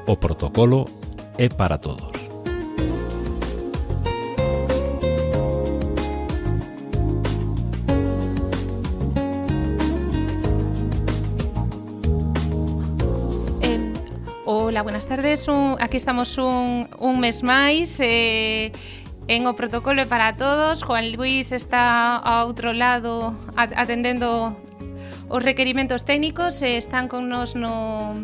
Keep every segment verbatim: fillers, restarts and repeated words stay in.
O protocolo é para todos. Hola, buenas tardes. Un, aquí estamos un, un mes máis eh, en O Protocolo é para todos. Juan Luis está ao outro lado atendendo os requerimentos técnicos. Eh, están con nos no,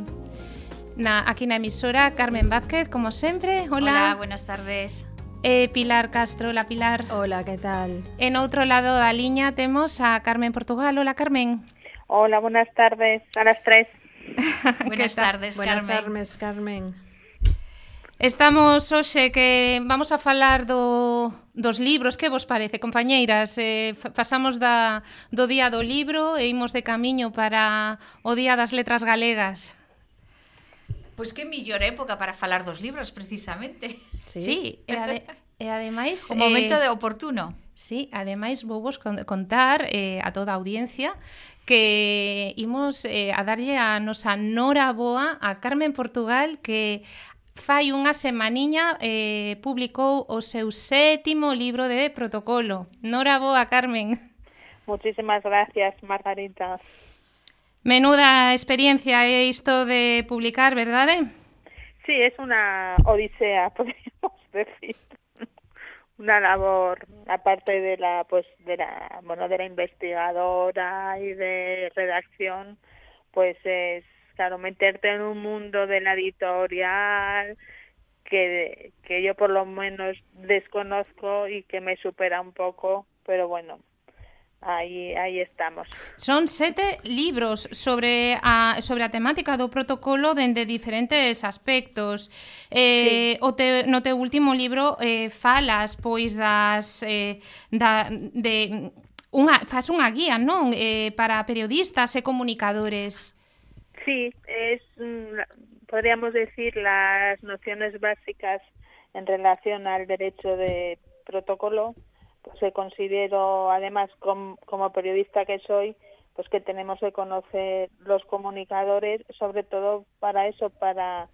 na, aquí na emisora Carmen Vázquez, como sempre. Hola. Hola, buenas tardes. Eh, Pilar Castro. Hola, Pilar. Hola, que tal? En outro lado da liña temos a Carmen Portugal. Hola, Carmen. Hola, buenas tardes. A las tres. Buenas tardes, Buenas Carmen. tardes, Carmen. Estamos hoxe que vamos a falar do, dos libros. Que vos parece, compañeiras? Eh, pasamos da, do Día do Libro e imos de camiño para o Día das Letras Galegas. Pois que mellor época para falar dos libros, precisamente. Sí, sí e, ade, e ademais... O momento eh, de oportuno. Sí, ademais vou vos contar eh, a toda a audiencia que imos eh, a darlle a nosa Nora Boa a Carmen Portugal, que fai unha semaniña eh, publicou o seu sétimo libro de protocolo. Nora Boa, Carmen. Muchísimas gracias, Margarita. Menuda experiencia é isto de publicar, verdade? Sí, es una odisea, podríamos decir. Una labor, aparte de la, pues, de la, bueno, de la investigadora y de redacción, pues es, claro, meterte en un mundo de la editorial que, que yo por lo menos desconozco y que me supera un poco, pero bueno, Aí, aí estamos. Son sete libros sobre a, sobre a temática do protocolo dende diferentes aspectos. Eh, sí. o te, no teu último libro eh, falas pois das eh, da, de unha, faz unha guía, non? Eh, para periodistas e comunicadores. Sí, es, podríamos decir, las nociones básicas en relación al derecho de protocolo. Pues que considero, además, com, como periodista que soy, pues que tenemos que conocer los comunicadores, sobre todo para eso, para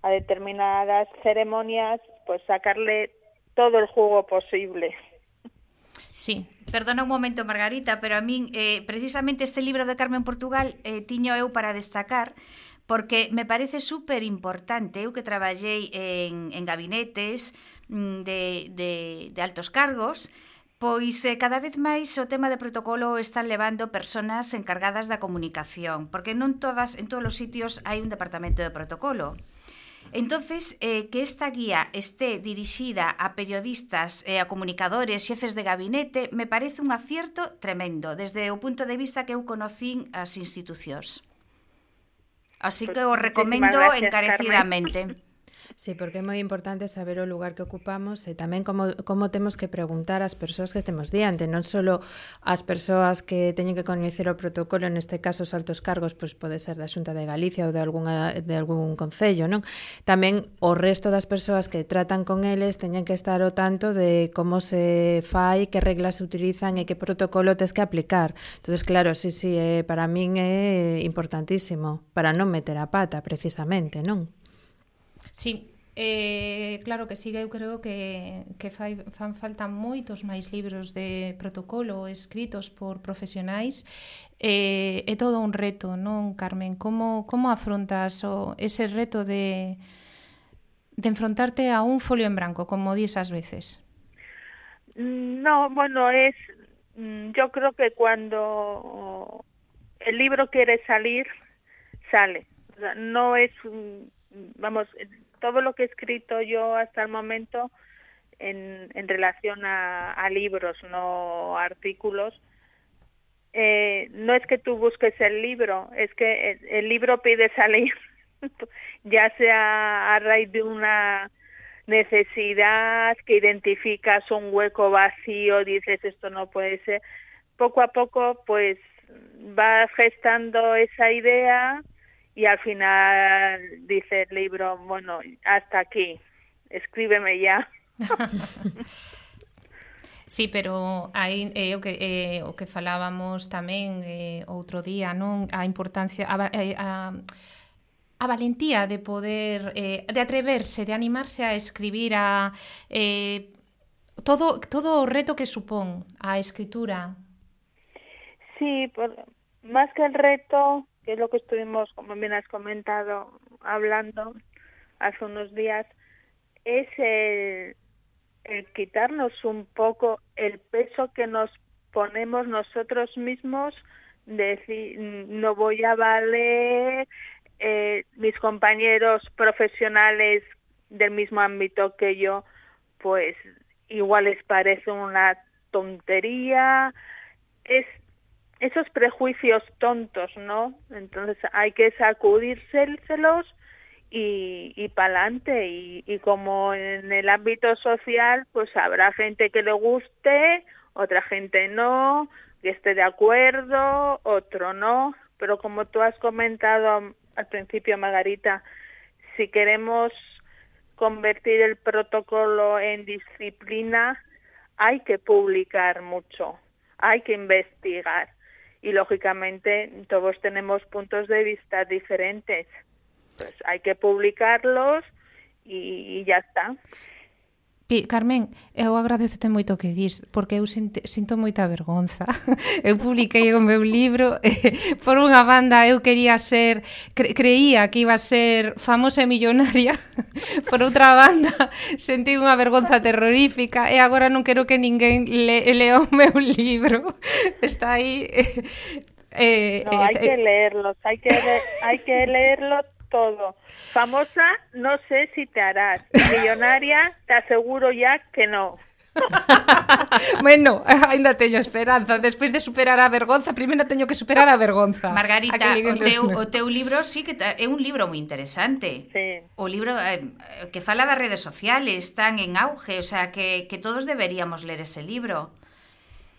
a determinadas ceremonias, pues sacarle todo el jugo posible. Sí. Perdona un momento, Margarita, pero a min, eh, precisamente este libro de Carmen Portugal eh, tiño eu para destacar, porque me parece super importante, eu que traballei en, en gabinetes de, de, de altos cargos, pois eh, cada vez máis o tema de protocolo están levando persoas encargadas da comunicación, porque non todas, en todos os sitios hai un departamento de protocolo. Entonces, eh, que esta guía esté dirixida a periodistas, eh, a comunicadores, xefes de gabinete, me parece un acierto tremendo, desde o punto de vista que eu conocín as institucións. Así que o recomendo gracias, encarecidamente. Carmen. Sí, porque é moi importante saber o lugar que ocupamos e tamén como, como temos que preguntar ás persoas que temos diante, non só as persoas que teñen que coñecer o protocolo, neste caso os altos cargos, pois pode ser da Xunta de Galicia ou de, alguna, de algún concello, non? Tamén o resto das persoas que tratan con eles teñen que estar ao tanto de como se fai, que reglas se utilizan e que protocolo tes que aplicar. Entonces, claro, sí, sí, eh, para min é importantísimo, para non meter a pata, precisamente, non? Sí, eh, claro que sí, eu creo que, que fai, fan falta moitos máis libros de protocolo escritos por profesionais. Eh, é todo un reto, non, Carmen? Como, como afrontas o, ese reto de, de enfrontarte a un folio en branco, como dis ás veces? No, bueno, es, yo creo que cuando el libro quiere salir, sale. O sea, no es, vamos, todo lo que he escrito yo hasta el momento en, en relación a, a libros, no artículos, eh, no es que tú busques el libro, es que el, el libro pide salir, ya sea a raíz de una necesidad, que identificas un hueco vacío, dices esto no puede ser, poco a poco pues va gestando esa idea. Y al final dice el libro, bueno, hasta aquí, escríbeme ya. Sí, pero hai eh, o que eh, o que falábamos tamén eh, outro día, non? A importancia a, a, a valentía de poder, eh, de atreverse, de animarse a escribir, a eh, todo, todo o reto que supón a escritura. Sí, por, más que el reto, que es lo que estuvimos, como bien has comentado, hablando hace unos días, es el, el quitarnos un poco el peso que nos ponemos nosotros mismos, de decir, no voy a valer, eh, mis compañeros profesionales del mismo ámbito que yo, pues igual les parece una tontería, es esos prejuicios tontos, ¿no? Entonces hay que sacudírselos y, y pa'lante, y, y como en el ámbito social, pues habrá gente que le guste, otra gente no, que esté de acuerdo, otro no, pero como tú has comentado al principio, Margarita, si queremos convertir el protocolo en disciplina, hay que publicar mucho, hay que investigar, y lógicamente todos tenemos puntos de vista diferentes, pues hay que publicarlos y, y ya está. Carmen, eu agradecete moito o que dis, porque eu sinto, sinto moita vergonza. Eu publiquei o meu libro, eh, por unha banda eu quería ser, cre, creía que iba a ser famosa e millonaria, por outra banda sentí unha vergonza terrorífica, e agora non quero que ninguén le, lea o meu libro. Está aí... Eh, no, eh, hai que leerlos, hai que, le, hai que leerlo todo. Famosa, no sé si te harás. Millonaria, te aseguro ya que no. Bueno, ainda teño esperanza. Despois de superar a vergonza, primeiro teño que superar a vergonza. Margarita, o teu, o teu libro sí que é un libro moi interesante. Sí. O libro eh, que fala das redes sociales, están en auge, o sea, que, que todos deberíamos ler ese libro.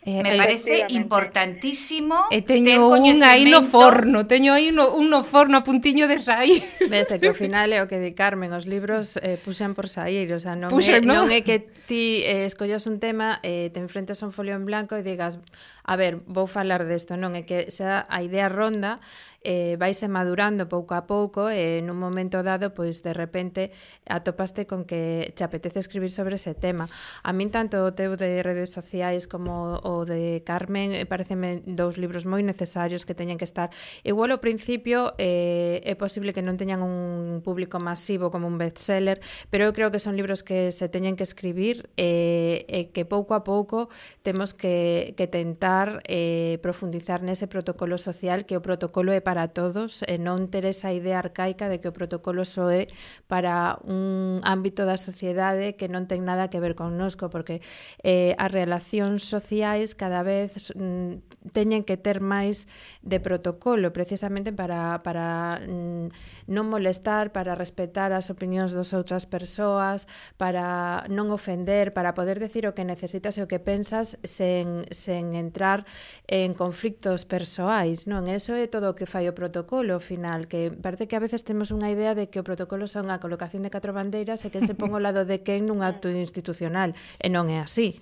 Eh, Me parece importantísimo e teño un aí no forno, teño aí no, un no forno a puntiño de sair. Vese que ao final é o que di Carmen, os libros eh, puxen por sair, o sea, non, Puxen, é, ¿no? non é que ti eh, escollas un tema, eh, te enfrentes a un folio en blanco e digas, a ver, vou falar desto, non é que xa a idea ronda, eh, vaise madurando pouco a pouco e nun momento dado, pois de repente atopaste con que te apetece escribir sobre ese tema. A min tanto o teu de redes sociais como o de Carmen pareceme dous libros moi necesarios que teñen que estar. Igual ao principio eh, é posible que non teñan un público masivo como un bestseller, pero eu creo que son libros que se teñen que escribir e eh, eh, que pouco a pouco temos que, que tentar eh, profundizar nese protocolo social, que o protocolo é para todos e non ter esa idea arcaica de que o protocolo só é para un ámbito da sociedade que non ten nada que ver connosco, porque eh, as relacións sociais cada vez mm, teñen que ter máis de protocolo, precisamente para, para mm, non molestar, para respetar as opinións das outras persoas, para non ofender, para poder decir o que necesitas e o que pensas sen, sen entrar en conflictos persoais, non? Eso é todo o que fai o protocolo, ao final, que parece que a veces temos unha idea de que o protocolo son a colocación de catro bandeiras e que se pon ao lado de quen nun acto institucional, e non é así.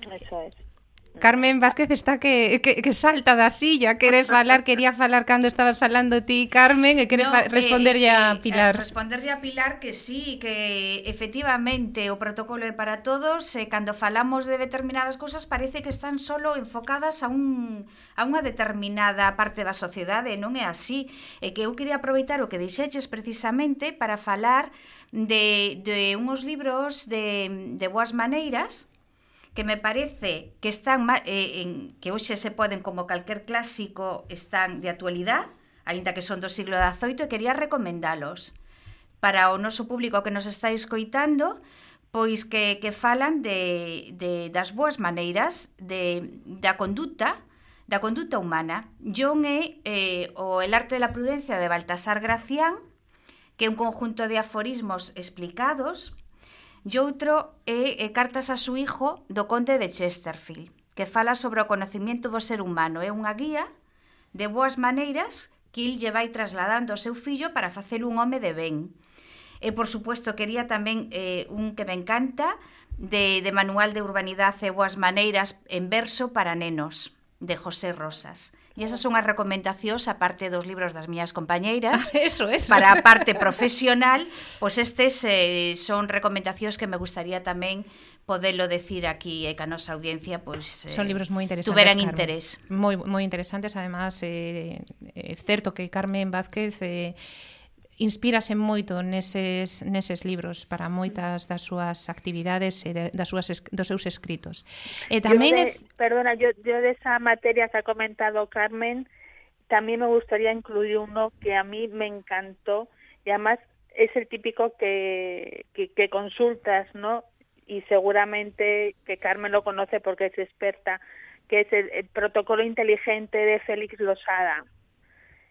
Eso es. Carmen Vázquez está que, que, que salta da silla, quere falar, quería falar cando estabas falando ti, Carmen, e quere no, responderlle eh, a Pilar. Eh, responderlle a Pilar que sí, que efectivamente o protocolo é para todos, e cando falamos de determinadas cousas parece que están solo enfocadas a un a unha determinada parte da sociedade, non é así. E que eu quería aproveitar o que dixeches precisamente para falar de, de uns libros de, de boas maneiras, que me parece que están eh, en, que hoxe se poden, como calquer clásico, están de actualidade, aínda que son do siglo dezoito, e quería recomendalos para o noso público que nos está escoitando, pois que, que falan de, de, das boas maneiras de, da conduta da conduta humana. John é eh, o El arte de la prudencia de Baltasar Gracián, que é un conjunto de aforismos explicados. E outro é, é Cartas a su hijo, do conde de Chesterfield, que fala sobre o conocimiento do ser humano. É unha guía de boas maneiras que il lle vai trasladando ao seu fillo para facelo un home de ben. E, por suposto, quería tamén eh, un que me encanta, de, de Manual de Urbanidade e Boas Maneiras en verso para nenos, de José Rosas. E esas son as recomendacións, a parte dos libros das miñas compañeiras. Eso, eso. Para a parte profesional, pois pues estes eh, son recomendacións que me gustaría tamén podelo decir aquí e que a nosa audiencia pois, pues, son libros moi interesantes, tuveran Carmen. interés. Moi, moi interesantes, además, é eh, eh, certo que Carmen Vázquez eh, inspírase moito neses, neses libros para moitas das súas actividades e de, das súas, dos seus escritos. E tamén yo de, é... Perdona, yo, yo de esa materia que ha comentado Carmen, también me gustaría incluir uno que a mí me encantó y además es el típico que, que, que consultas, ¿no? Y seguramente que Carmen lo conoce porque es experta, que es el, el Protocolo Inteligente de Félix Losada.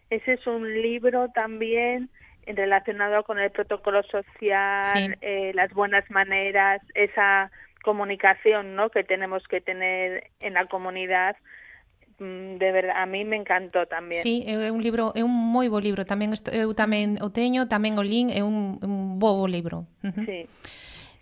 Ese es un libro también relacionado con el protocolo social, sí. eh, las buenas maneras, esa comunicación, ¿no?, que tenemos que tener en la comunidad. De verdad, a mí me encantó tamén. Sí, é un libro, é un moi bo libro, tamén eu tamén o teño, tamén o lin, é un, un bo libro. Uh-huh. Sí.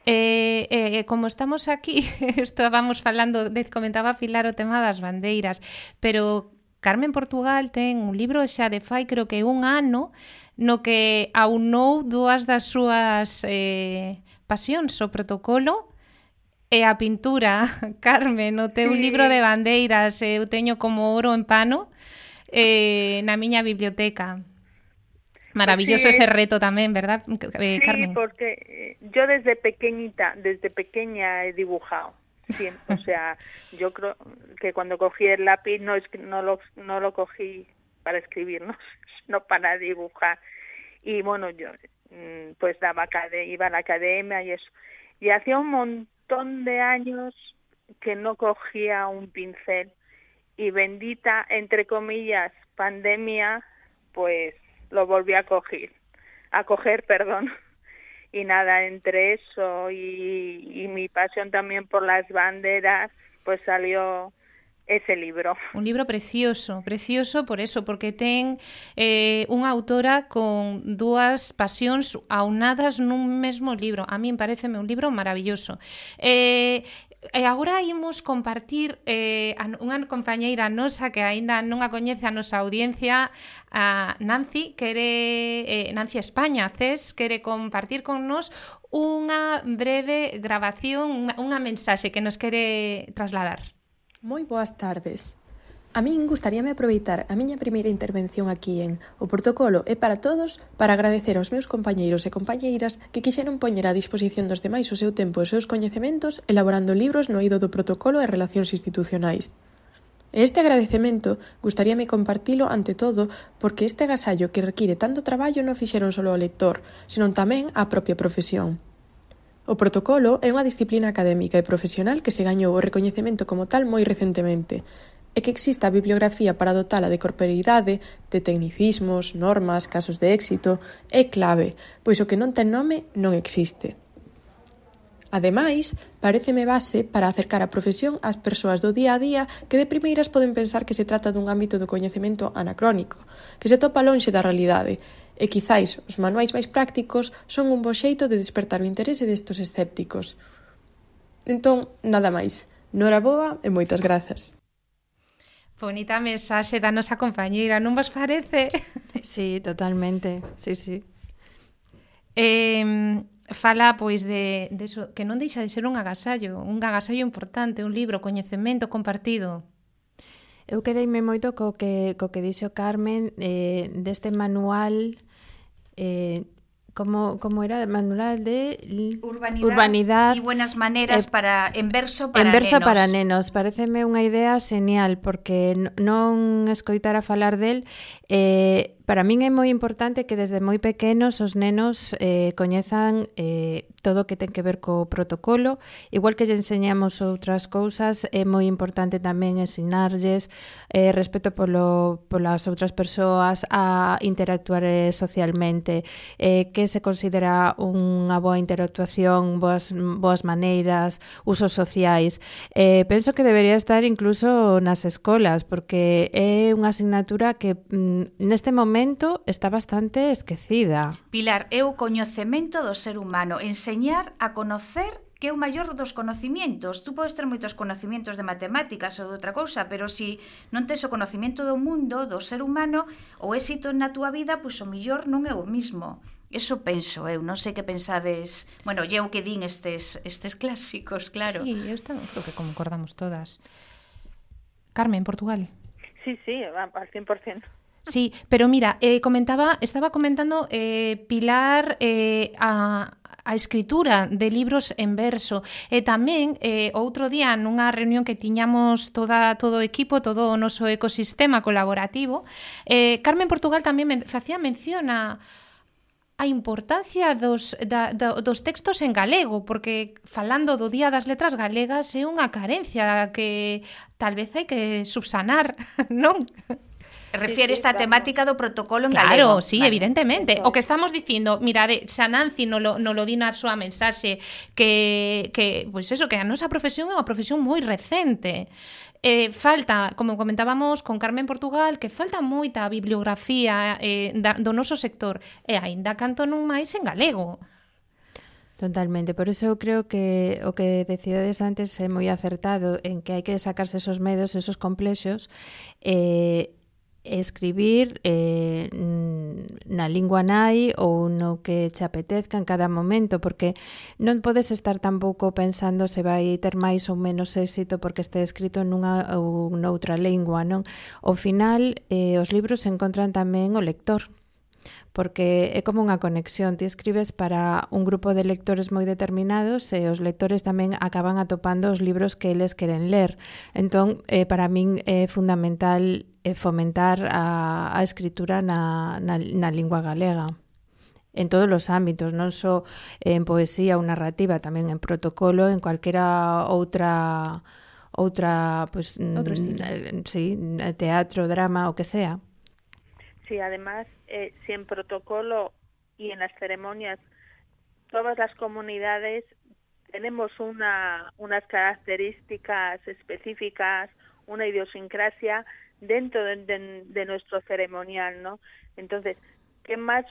Eh, eh, como estamos aquí, estábamos falando, de, comentaba Pilar o tema das bandeiras, pero Carmen Portugal ten un libro xa de fai, creo que un ano, no que aunou dúas das súas eh, pasións, o protocolo e a pintura. Carmen, o teu sí. libro de bandeiras, eu teño como oro en pano eh, na miña biblioteca. Maravilloso sí, ese reto tamén, ¿verdad, eh, sí, Carmen? Sí, porque yo desde pequeñita, desde pequeña he dibujado. Sí, o sea, yo creo que cuando cogí el lápiz no, es, no, lo, no lo cogí para escribir, no, no para dibujar. Y bueno, yo pues daba iba a la academia y eso. Y hacía un montón de años que no cogía un pincel. Y bendita, entre comillas, pandemia, pues lo volví a coger, a coger, perdón. Y nada, entre eso y, y mi pasión también por las banderas, pues salió ese libro. Un libro precioso, precioso por eso, porque ten eh, unha autora con dúas pasións aunadas nun mesmo libro. A min pareceme un libro maravilloso. Eh, E agora imos compartir eh, a unha compañeira nosa que aínda non a coñece a nosa audiencia, a Nancy, quere, eh, Nancy España, Ces, quere compartir con nos unha breve grabación, unha, unha mensaxe que nos quere trasladar. Moi boas tardes. A min gustaríame aproveitar a miña primeira intervención aquí en O Protocolo é para todos para agradecer aos meus compañeiros e compañeiras que quixeron poñer á disposición dos demais o seu tempo e os seus coñecementos elaborando libros no eido do protocolo e relacións institucionais. E este agradecemento gustaríame compartilo ante todo porque este agasallo que require tanto traballo non fixeron só o lector, senón tamén a propia profesión. O protocolo é unha disciplina académica e profesional que se gañou o recoñecemento como tal moi recentemente, e que exista a bibliografía para dotala de corporeidade, de tecnicismos, normas, casos de éxito, é clave, pois o que non ten nome non existe. Ademais, paréceme base para acercar a profesión ás persoas do día a día que de primeiras poden pensar que se trata dun ámbito do coñecemento anacrónico, que se topa lonxe da realidade, e quizáis os manuais máis prácticos son un bo xeito de despertar o interese destos escépticos. Entón, nada máis. Noraboa e moitas grazas. Bonita mensaxe da nosa compañeira, non vos parece? Sí, totalmente, sí, sí. Eh, fala, pois, de, de eso, que non deixa de ser un agasallo, un agasallo importante, un libro, coñecemento compartido. Eu quedeime moito co que, co que dixo Carmen eh, deste manual... Eh, Como, como era manual de urbanidade, urbanidade e buenas maneras eh, para en verso para en verso nenos. para nenos. Pareceme unha idea genial porque non escoitar a falar del eh, para min é moi importante que desde moi pequenos os nenos eh, coñezan eh, todo o que ten que ver co protocolo, igual que lle enseñamos outras cousas, é moi importante tamén ensinarlles eh, respeto polo, polas outras persoas, a interactuar eh, socialmente, eh, que se considera unha boa interactuación, boas, boas maneiras, usos sociais. Eh, penso que debería estar incluso nas escolas, porque é unha asignatura que mm, neste momento está bastante esquecida. Pilar, é o coñecemento do ser humano, enseñar a conocer que é o maior dos conocimientos. Tú podes ter moitos conocimientos de matemáticas ou de outra cousa, pero se si non tes o conocimiento do mundo, do ser humano, o éxito na túa vida, pois o millor non é o mismo. Eso penso eu, non sei que pensades. Bueno, eu que din estes, estes clásicos, claro. Sí, eu creo que concordamos todas. Carmen, Portugal. Sí, sí, al cien por ciento. Sí, pero mira, eh, comentaba, estaba comentando eh, Pilar eh, a, a escritura de libros en verso e tamén eh, outro día nunha reunión que tiñamos toda, todo o equipo, todo o noso ecosistema colaborativo, eh, Carmen Portugal tamén men, facía mención a a importancia dos, da, da, dos textos en galego, porque falando do Día das Letras Galegas é unha carencia que tal vez hai que subsanar, non? Refiere esta temática do protocolo en claro, galego. Claro, sí, vale. Evidentemente. O que estamos dicindo, mirade, xa Nancy no lo, no lo di na súa mensaxe que, que, pois eso, que a nosa profesión é unha profesión moi recente. Eh, falta, como comentábamos con Carmen Portugal, que falta moita bibliografía eh, da, do noso sector e aínda canto non máis en galego. Totalmente, por eso eu creo que o que decides antes é moi acertado en que hai que sacarse esos medos, esos complexos, e eh, escribir eh, na lingua nai ou no que che apetezca en cada momento, porque non podes estar tampouco pensando se vai ter máis ou menos éxito porque este escrito nunha ou noutra lingua, non? Ao final, eh, os libros se encontran tamén o lector, porque é como unha conexión. Ti escribes para un grupo de lectores moi determinados e os lectores tamén acaban atopando os libros que eles queren ler. Entón, eh, para min é fundamental eh, fomentar a, a escritura na, na, na lingua galega en todos os ámbitos, non só en poesía ou narrativa, tamén en protocolo, en cualquera outra outra, pues, outro estilo. Sí, teatro, drama, o que sea. Sí, además, eh, si en protocolo y en las ceremonias todas las comunidades tenemos una, unas características específicas, una idiosincrasia dentro de, de, de nuestro ceremonial, ¿no? Entonces, ¿qué más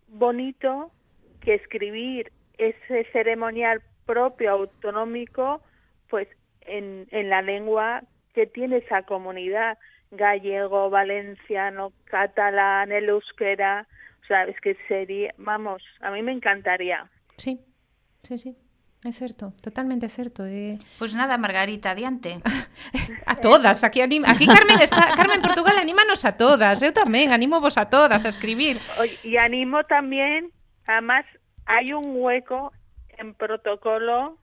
bonito que escribir ese ceremonial propio, autonómico, pues en, en la lengua que tiene esa comunidad? Gallego, valenciano, catalán, el euskera, o sea, es que sería, vamos, a mí me encantaría. Sí, sí, sí, é certo, totalmente certo. Eh... Pois pues nada, Margarita, adiante. A todas, aquí anima, aquí Carmen está, Carmen Portugal anímanos a todas, eu tamén animo vos a todas a escribir. Y animo también, además, hay un hueco en protocolo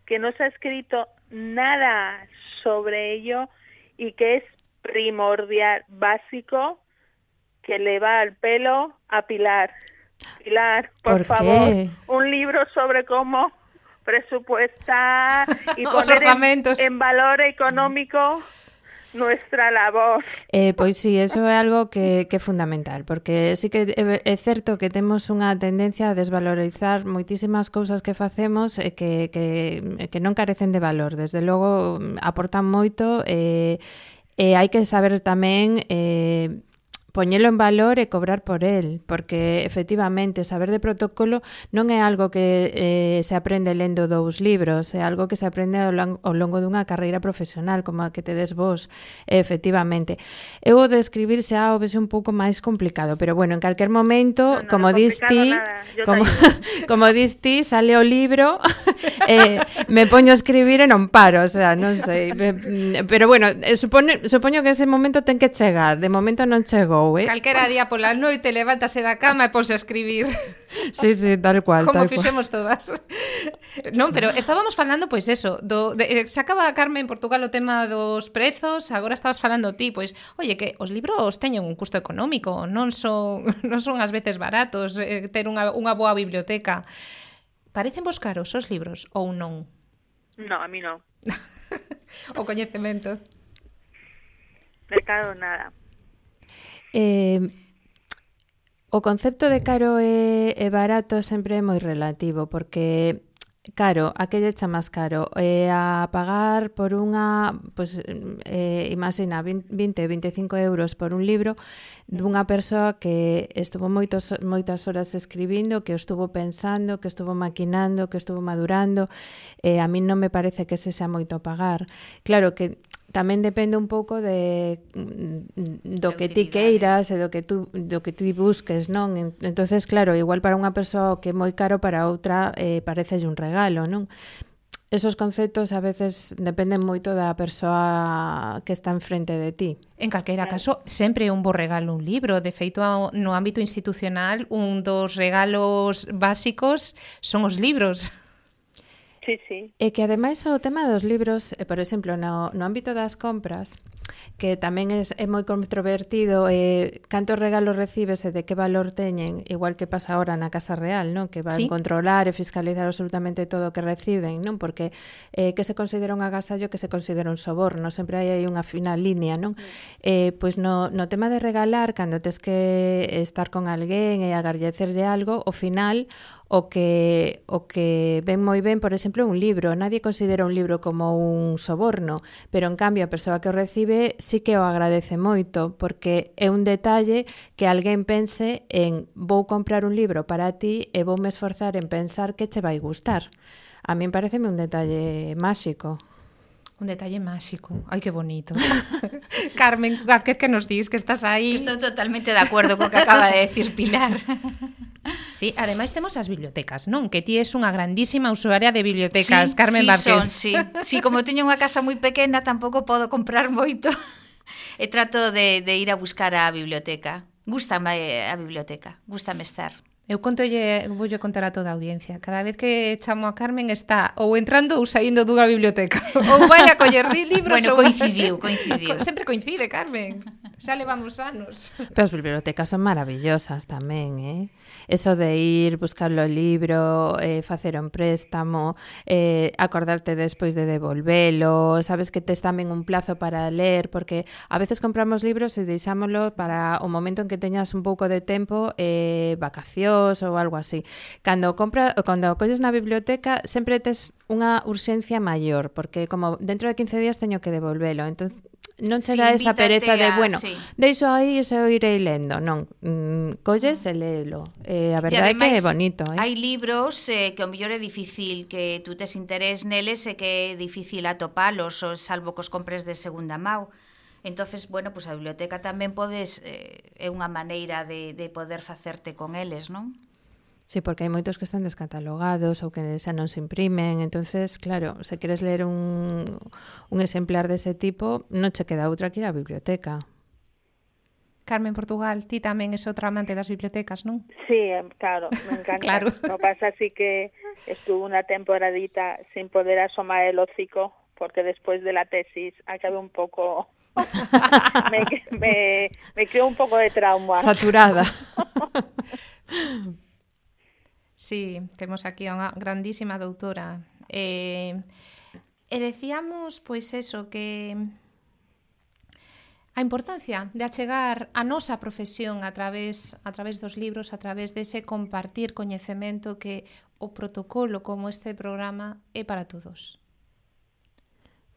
que no se ha escrito nada sobre ello y que es primordial, básico, que le va al pelo a Pilar. Pilar, por, ¿Por favor, qué? Un libro sobre cómo presupuestar y poner en, en valor económico nuestra labor. Eh, pois sí, eso é algo que, que é fundamental, porque sí que é, é certo que temos unha tendencia a desvalorizar moitísimas cousas que facemos e que, que, que non carecen de valor. Desde logo, aportan moito e E hai que saber tamén eh, poñelo en valor e cobrar por el, porque efectivamente saber de protocolo non é algo que eh, se aprende lendo dous libros, é algo que se aprende ao, lang- ao longo dunha carreira profesional, como a que tedes vos, efectivamente. Eu o de escribir xa o vese un pouco máis complicado, pero bueno, en calquer momento, no, no, como dis ti, como, como dis ti, sale o libro, eh, me poño a escribir e non paro, o sea, non sei, pero bueno, supone, supoño que ese momento ten que chegar, de momento non chegou. Eh? Calquera día pola noite levántase da cama e ponse a escribir. Sí, sí, tal cual. Como tal fixemos cual. todas. Non, pero estábamos falando, pois eso, do, de, se acaba, Carmen, en Portugal o tema dos prezos, agora estabas falando ti, pois, oye, que os libros teñen un custo económico, non son, non son ás veces baratos eh, ter unha, unha boa biblioteca. Parecen vos caros os libros ou non? No, a mí non. O coñecemento. De caro nada. Eh, o concepto de caro e, e barato sempre é moi relativo, porque Caro, a que lle echa máis caro? Eh, a pagar por unha, pues, eh, imagina, vinte, veinticinco euros por un libro dunha persoa que estuvo moitos, moitas horas escribindo, que o estuvo pensando, que estuvo maquinando, que estuvo madurando. Eh, a mí non me parece que ese sea moito a pagar. Claro que tamén depende un pouco de do que ti queiras e do que tú do que ti busques, non? Entonces, claro, igual para unha persoa que é moi caro, para outra eh, parecelle un regalo, non? Esos conceptos a veces dependen moito da persoa que está enfrente de ti. En calquera caso, sempre é un bo regalo un libro. De feito, no ámbito institucional, un dos regalos básicos son os libros. Sí, sí. E que ademais o tema dos libros, por exemplo, no, no ámbito das compras, que tamén é, é moi controvertido, eh, cantos regalos recibes e de que valor teñen, igual que pasa ahora na Casa Real, non? Que van sí. controlar e fiscalizar absolutamente todo o que reciben, non? Porque eh, que se considera un agasallo, que se considera un soborno, sempre hai aí unha fina línea, non? Mm. Eh, pois no, no tema de regalar, cando tes que estar con alguén e agarrecerlle algo, ao final o que o que ven moi ben, por exemplo, un libro. Nadie considera un libro como un soborno, pero en cambio a persoa que o recibe sí que o agradece moito, porque é un detalle que alguén pense en vou comprar un libro para ti e voume esforzar en pensar que che vai gustar. A min pareceme un detalle máxico. Un detalle máxico. Ai, que bonito. Carmen, que, que nos dis que estás aí? Que estou totalmente de acordo co que acaba de decir Pilar. Sí, ademais temos as bibliotecas, non? Que ti és unha grandísima usuaria de bibliotecas, sí, Carmen sí, Vázquez. Son, sí, sí, como teño unha casa moi pequena, tampouco podo comprar moito. E trato de, de ir a buscar a biblioteca. Gústame a biblioteca, gústame estar. Eu contolle, voulle contar a toda a audiencia. Cada vez que chamo a Carmen está ou entrando ou saindo dunha biblioteca. Ou vai a coller libros. Bueno, ou... coincidiu, coincidiu. Sempre coincide, Carmen. Xa levamos anos. Pero as bibliotecas son maravillosas tamén, eh? Eso de ir, buscar o libro, eh, facer un préstamo, eh, acordarte despois de devolvelo, sabes que tes tamén un plazo para ler, porque a veces compramos libros e deixámoslo para o momento en que teñas un pouco de tempo, eh, vacacións ou algo así. Cando compra, cando colles na biblioteca sempre tes unha urxencia maior, porque como dentro de quince días teño que devolvelo, entón non se dá sí, esa pereza de, bueno, sí. deixo aí e se o irei lendo, non, mm, colles e léelo. Eh, a verdade é que é bonito, eh? Hai libros eh, que o mellor é difícil que tú tes interés neles e que é difícil atopalos, ou salvo que os compres de segunda mão. Entonces, bueno, pues a biblioteca tamén podes, eh, é unha maneira de, de poder facerte con eles, non? Sí, porque hai moitos que están descatalogados ou que xa non se imprimen, entonces, claro, se queres ler un, un exemplar dese tipo, non che queda outra que ir á biblioteca. Carmen Portugal, ti tamén és outra amante das bibliotecas, non? Sí, claro, me encanta. Claro. Lo que pasa así que estuve unha temporadita sin poder asomar el hocico, porque después de la tesis acabé un pouco... me, me, me creó un pouco de trauma. Saturada. Sí, temos aquí a unha grandísima doutora. Eh, e decíamos, pois eso, que a importancia de achegar a nosa profesión a través, a través dos libros, a través dese compartir coñecemento que o protocolo como este programa é para todos.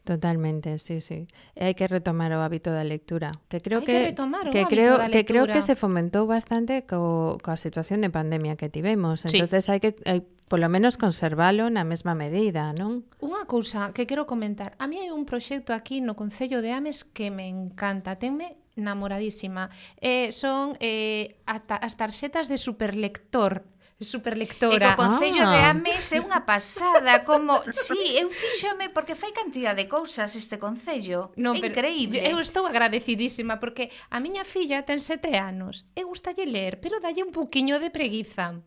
Totalmente, sí, sí. E hai que retomar o hábito da lectura, que creo hai que, que retomar o que hábito creo da que creo lectura. que se fomentou bastante co, coa situación de pandemia que tivemos. Entonces sí. hai que hai, polo menos conservalo na mesma medida, non? Unha cousa que quero comentar. A mí hai un proxecto aquí no Concello de Ames que me encanta, tenme namoradísima. Eh, son eh, as tarxetas de superlector. Superlectora. E co Concello ah. de Ames é unha pasada, como, sí, eu fíxome porque fai cantidad de cousas este Concello. No, é increíble. Eu estou agradecidísima porque a miña filla ten sete anos e gustalle ler, pero dalle un pouquiño de preguiza.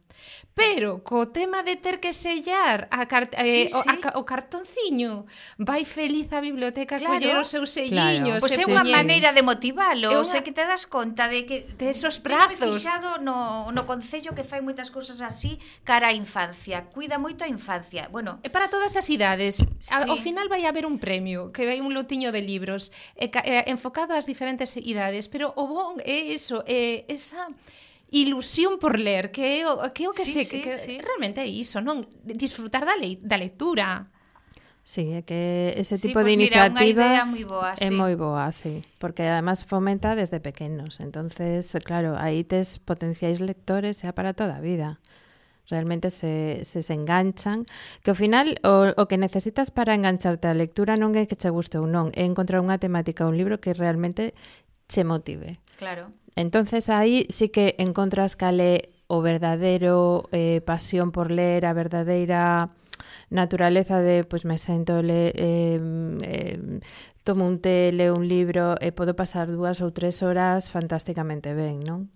Pero co tema de ter que sellar a car sí, eh, sí. A, o cartonciño, vai feliz a biblioteca claro. coller os seus selliños. Claro. Pois pues é unha sí. maneira de motivalo, unha... sei que te das conta de que de esos prazos. Tenho fixado no, no Concello que fai moitas cousas así cara á infancia, cuida moito a infancia. Bueno, é para todas as idades. Sí. Ao final vai haber un premio, que hai un lotiño de libros eh, eh, enfocado ás diferentes idades, pero o bon é eso, é esa ilusión por ler, que é o que, é o que sí, se sí, que, que sí. realmente é iso, non? Disfrutar da, le, da lectura. Sí, é que ese Sí, tipo pues de mira, unha idea iniciativas moi boa, é sí. moi boa, sí, porque además fomenta desde pequenos. Entonces, claro, aí tes potenciais lectores xa para toda a vida. Realmente se, se se enganchan, que ao final o, o que necesitas para engancharte á lectura non é que che guste ou non, é encontrar unha temática, un libro que realmente che motive. Claro. Entonces aí sí que encontras cale o verdadeiro eh, pasión por ler, a verdadeira naturaleza de, pois me sento, le, eh, eh, tomo un té, leo un libro e podo pasar dúas ou tres horas fantásticamente ben, non?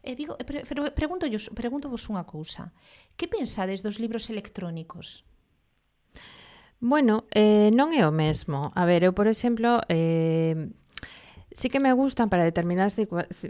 E digo, pre, pre, pregunto, pregunto vos unha cousa. Que pensades dos libros electrónicos? Bueno, eh, non é o mesmo. A ver, eu, por exemplo, eh, sí que me gustan para determinadas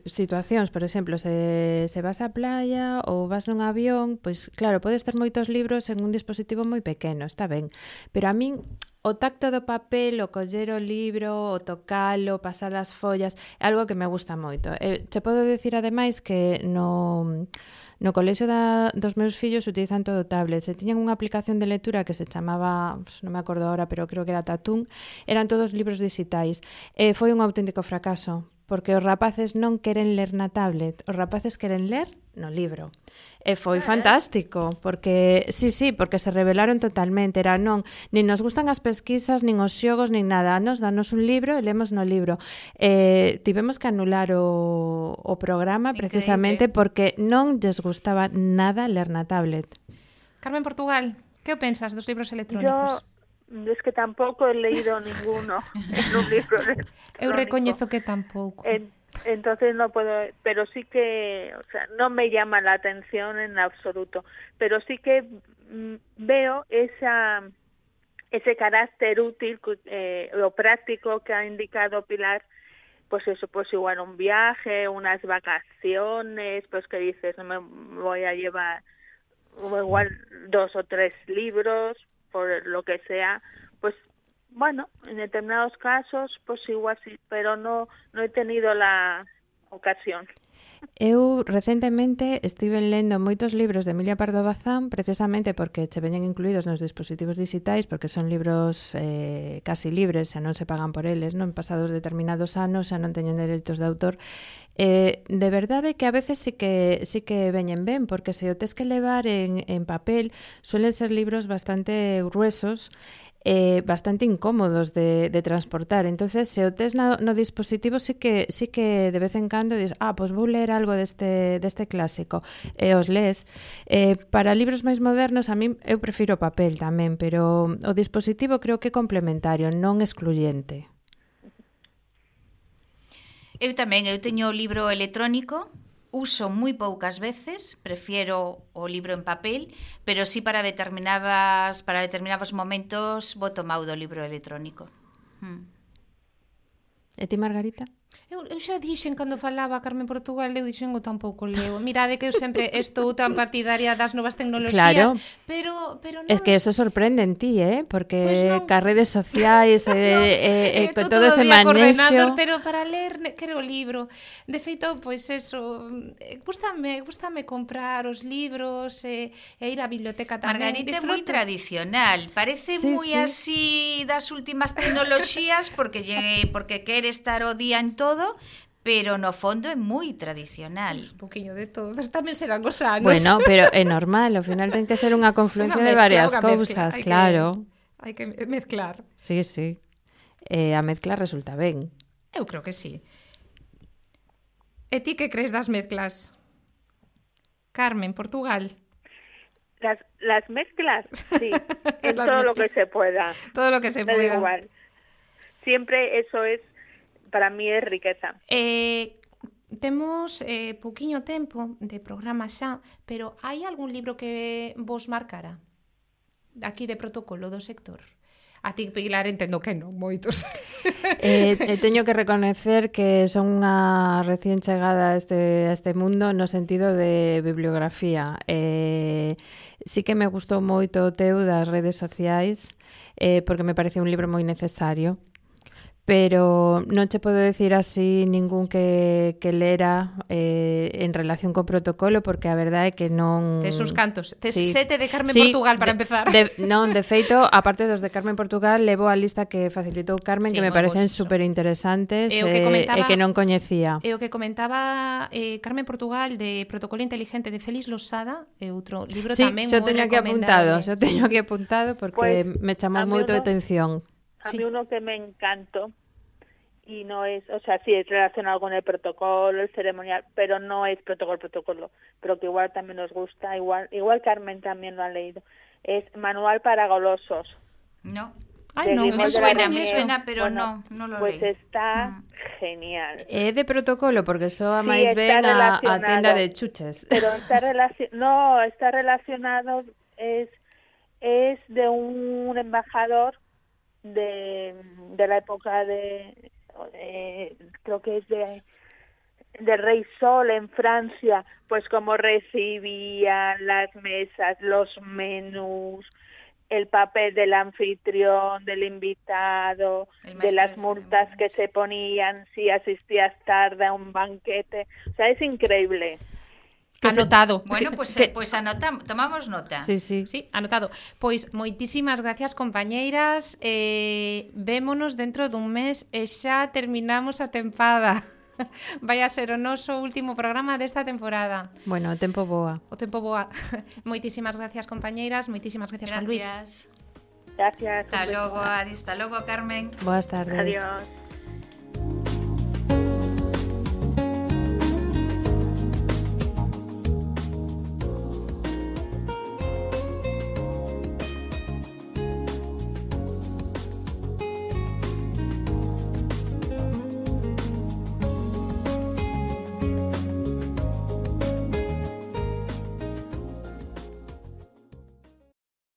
situacións. Por exemplo, se, se vas á playa ou vas nun avión, pois claro, podes ter moitos libros en un dispositivo moi pequeno, está ben. Pero a min o tacto do papel, o coller o libro, o tocalo, pasar as follas, é algo que me gusta moito. E che podo dicir ademais que no, no colexio da, dos meus fillos utilizan todo tablets. E tiñan unha aplicación de lectura que se chamaba, non me acordo agora, pero creo que era Tatún. Eran todos libros digitais. E foi un auténtico fracaso, porque os rapaces non queren ler na tablet, os rapaces queren ler no libro. E foi fantástico, porque, sí, sí, porque se rebelaron totalmente, era non, nin nos gustan as pesquisas, nin os xogos, nin nada, nos danos un libro e lemos no libro. Eh, tivemos que anular o, o programa precisamente porque non lles gustaba nada ler na tablet. Carmen Portugal, que pensas dos libros electrónicos? Yo es que tampouco he leído ninguno en un libro electrónico. Eu recoñezo que tampouco. En, entonces no puedo, pero sí que, o sea, no me llama la atención en absoluto, pero sí que mm, veo esa ese carácter útil eh, o práctico que ha indicado Pilar, pues eso, pues igual un viaje, unas vacaciones, pues que dices, no me voy a llevar igual dos o tres libros, por lo que sea, pues bueno, en determinados casos, pues igual sí, pero no, no he tenido la ocasión. Eu recentemente estive lendo moitos libros de Emilia Pardo Bazán precisamente porque che veñen incluídos nos dispositivos digitais, porque son libros eh, casi libres, xa non se pagan por eles, non pasados determinados anos, xa non teñen dereitos de autor. Eh, de verdade que a veces sí que sí que veñen ben, porque se o tes que levar en, en papel, suelen ser libros bastante gruesos, eh, bastante incómodos de, de transportar. Entonces, se o tes no, no dispositivo, sí que sí que de vez en cando dices, ah, pois pues vou ler algo deste, deste clásico, e os lees. Eh, para libros máis modernos, a mí eu prefiro papel tamén, pero o dispositivo creo que é complementario, non excluyente. Eu tamén, eu teño o libro electrónico, uso moi poucas veces, prefiero o libro en papel, pero sí para determinadas para determinados momentos boto mau do libro electrónico. Hmm. E ti, Margarita? Eu, eu xa dixen cando falaba a Carmen Portugal, eu dixen o tampouco leo. Mirade que eu sempre estou tan partidaria das novas tecnoloxías, claro. pero pero non. Es que eso sorprende en ti, eh, porque pues non. ca redes sociais e eh, eh, eh, con todo, todo ese manexo, pero para ler quero o libro. De feito, pois pues eso, gústame, gústame comprar os libros e, e ir á biblioteca tamén. Margarita é moi tradicional, parece sí, moi sí. así das últimas tecnoloxías porque llegue, porque quere estar o día en todo, pero no fondo é moi tradicional. Un poquinho de todo, tamén serán os anos. Bueno, pero é normal, ao final ten que ser unha confluencia de varias cousas, claro. Hai que mezclar. Sí, sí. Eh, a mezcla resulta ben. Eu creo que sí. E ti que crees das mezclas? Carmen, Portugal. Las, las mezclas, sí, en todo mezclas. Lo que se pueda. Todo lo que se Me pueda. Da igual. Siempre eso es, para mí es riqueza. Eh, temos eh, pouquiño tempo de programa xa, pero hai algún libro que vos marcara? Aquí de protocolo do sector? A ti, Pilar, entendo que non, moitos. eh, eh, teño que reconocer que son unha recién chegada a este, a este mundo no sentido de bibliografía. Eh, sí que me gustou moito o teu das redes sociais, eh, porque me parece un libro moi necesario. pero non che podo decir así ningún que, que lera eh, en relación co protocolo, porque a verdade é que non... Tes uns cantos. Tes sí. sete de Carmen sí, Portugal para de, empezar. De, non, de feito, aparte dos de Carmen Portugal, levo a lista que facilitou Carmen, Sí, que me moi parecen bons, super interesantes E o que e, comentaba- e que non coñecía. E o que comentaba eh, Carmen Portugal de Protocolo Inteligente de Félix Losada, é outro libro Sí, tamén xo moi teño aquí apuntado, recomendable. xo teño aquí apuntado porque Pues, me chamou a mí moito a uno- atención. A Sí. mí uno que me encantó, y no es, o sea, sí es relacionado con el protocolo, el ceremonial, pero no es protocolo, protocolo, pero que igual también nos gusta, igual igual Carmen también lo ha leído, es Manual para Golosos. No. Ai, de non, Guillermo Me de eso la suena, non me Ramier. suena, pero Bueno, no, no lo Pues leí. está Mm. genial. É de protocolo, porque só a Sí, máis está ben a, a relacionado. tenda de chuches. Pero está relacionado, no, está relacionado, es es de un embajador de, de la época de, de- creo que es de del Rey Sol en Francia, pues cómo recibían las mesas, los menús, el papel del anfitrión, del invitado, El de maestro las de multas que ceremonias. se ponían si asistías tarde a un banquete. O sea, es increíble. Anotado. Bueno, pues, Que- eh, pues anotamos, tomamos nota. Sí, sí. Sí, anotado. Pois moitísimas gracias, compañeiras. Eh, vémonos dentro dun mes e xa terminamos a tempada. Vai a ser o noso último programa desta temporada. Bueno, o tempo boa. O tempo boa. Moitísimas gracias, compañeiras. Moitísimas gracias, Juan Luis. Gracias. Gracias. un Hasta beso. logo, Adi. Hasta logo, Carmen. Boas tardes. Adiós.